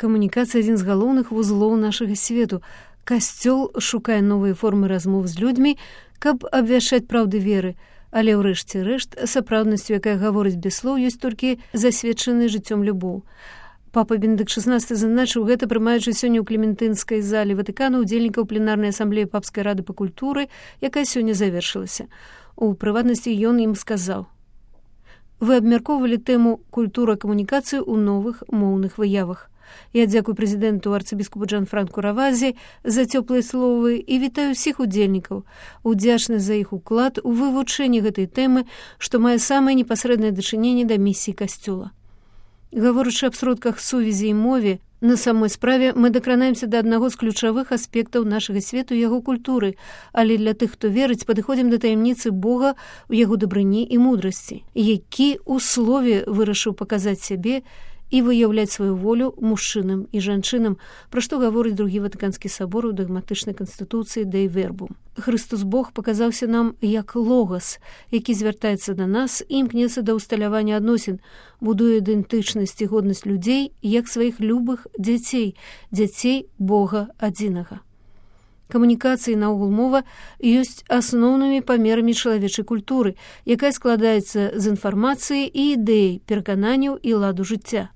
Камунікацыя адзін з галоўных вузлоў нашага свету. Касцёл шукае новыя формы размоў з людзьмі, каб абвяшчаць праўды веры, але ў рэшце рэшт сапраўднасцю, якая гаворыць без слоў, ёсць толькі засведчаны жыццём любоў. Папа Бенедыкт XVI зазначыў гэта, прымаючы сёння ў Клементынскай залі Ватыкану удзельнікаў пленарнай асамблеі Папскай рады па культуры, якая сёння завершылася. У прыватнасці ён ім сказаў: «Вы абмяркоўвалі тэму культура камунікацыі ў новых моўных выявах. Я дзякую прэзідэнту арцыбіскупу Джанфранку Равазе за цёплыя словы і вітаю ўсіх удзельнікаў, удзячны за іх уклад у вывучэнні гэтай тэмы, што мае самае непасрэднае дачыненне да місіі касцёла. Гаворачы аб сродках сувязі і мове, на самой справе мы дакранаемся да аднаго з ключавых аспектаў нашага свету і яго культуры, але для тых, хто верыць, падыходзім да таямніцы Бога ў яго дабрыні і мудрасці, які ў слове вырашыў паказаць сябе і выяўляць сваю волю мужчынам і жанчынам, пра што гаворыць другі Ватыканскі сабор у дагматычнай канстытуцыі Dei Verbum. Хрыстус Бог паказаўся нам як логас, які звяртаецца да нас і імкнецца да ўсталявання адносін, будуе ідэнтычнасць і годнасць людзей як сваіх любых дзяцей, дзяцей Бога адзінага. Камунікацыі, наогул мова, ёсць асноўнымі памерамі чалавечай культуры, якая складаецца з інфармацыі і ідэй, перакананняў і ладу жыцця.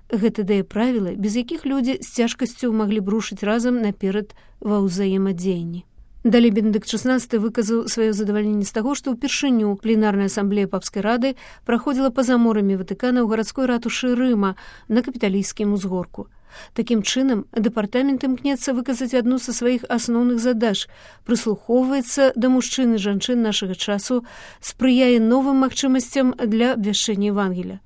Гэта дае правілы, без якіх людзі з цяжкасцю маглі б рушыць разам наперад ва ўзаемадзеянні. Далей Бенедыкт XVI выказаў сваё задавальненне з таго, што ўпершыню пленарная асамблея Папскай рады праходзіла па-за морамі Ватыкана ў гарадской ратушы Рыма на Капіталійскім узгорку. Такім чынам, дэпартамент імкнецца выказаць адну са сваіх асноўных задач, прыслухоўваецца да мужчын і жанчын нашага часу, спрыяе новым магчымасцям для абвяшчэння Евангелія.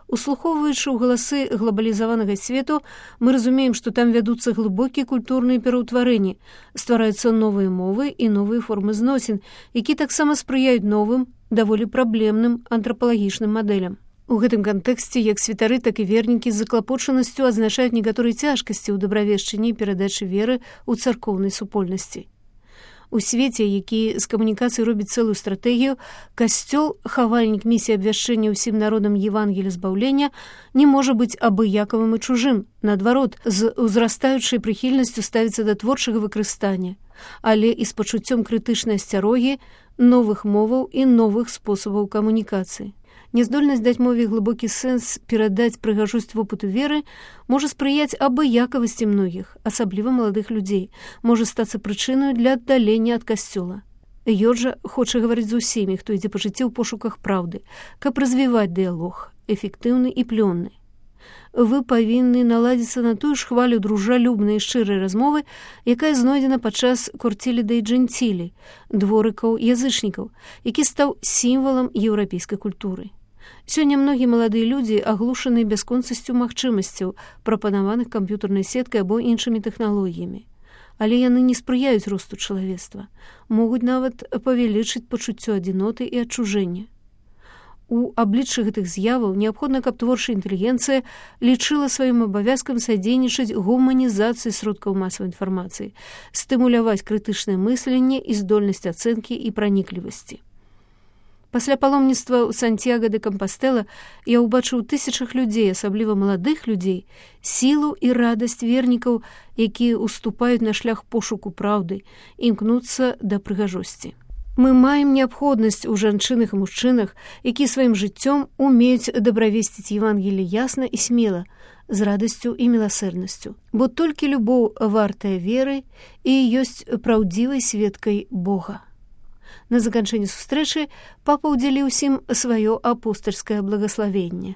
Услухоўваючы ў галасы глобалізаванага свету, мы разумеем, што там вядуцца глыбокія культурныя пераўтварэнні, ствараюцца новыя мовы і новыя формы зносін, які таксама спрыяюць новым, даволі праблемным антрапалагічным мадэлям. У гэтым кантэксце як святары, так і вернікі з заклапочанасцю адзначаюць некаторыя цяжкасці ў дабравешчанні і перадачы веры ў царкоўнай супольнасці. У свеце, які з камунікацыі робіць цэлую стратэгію, касцёл, хавальнік місіі абвяшчэння ўсім народам Евангелія збаўлення, не можа быць абыякавым і чужым. Наадварот, з узрастаючай прыхільнасцю ставіцца да творчага выкарыстання, але і з пачуццём крытычнай асцярогі, новых моваў і новых спосабаў камунікацыі. Няздольнасць даць мове глыбокі сэнс, перадаць прыгажосць вопыту веры можа спрыяць абыякавасці многіх, асабліва маладых людзей, можа стацца прычынаю для аддалення ад касцёла. Ёджа хоча гаварыць з усімі, хто ідзе па жыцці ў пошуках праўды, каб развіваць дыялог, эфектыўны і плённы. Вы павінны наладзіцца на тую ж хвалю дружалюбнай і шчырай размовы, якая знойдзена падчас корцілі дэй джэнцілі, дворыкаў язычнікаў, які стаў сімвалам еўрапейскай культуры. Сёння многія маладыя людзі аглушаны бясконцасцю магчымасцяў, прапанаваных камп'ютарнай сеткай або іншымі тэхналогіямі. Але яны не спрыяюць росту чалавецтва, могуць нават павялічыць пачуццё адзіноты і адчужэння. У абліччы гэтых з'яваў неабходна, каб творчая інтэлігенцыя лічыла сваім абавязкам садзейнічаць гуманізацыі сродкаў масавай інфармацыі, стымуляваць крытычнае мысленне і здольнасць ацэнкі і праніклівасці. Пасля паломніцтва ў Сантьяго де Кампастэла я ўбачыў тысячах людзей, асабліва маладых людзей, сілу і радасць вернікаў, якія уступаюць на шлях пошуку праўды, імкнуцца да прыгажосці. Мы маем неабходнасць у жанчынах і мужчынах, якія сваім жыццём умеюць дабравесціць Евангелле ясна і смела, з радасцю і міласэрнасцю. Бо толькі любоў вартая веры і ёсць праўдзівай сведкай Бога. На заканчэнне сустрэчы папа ўдзяліў усім сваё апостальскае благаславенне.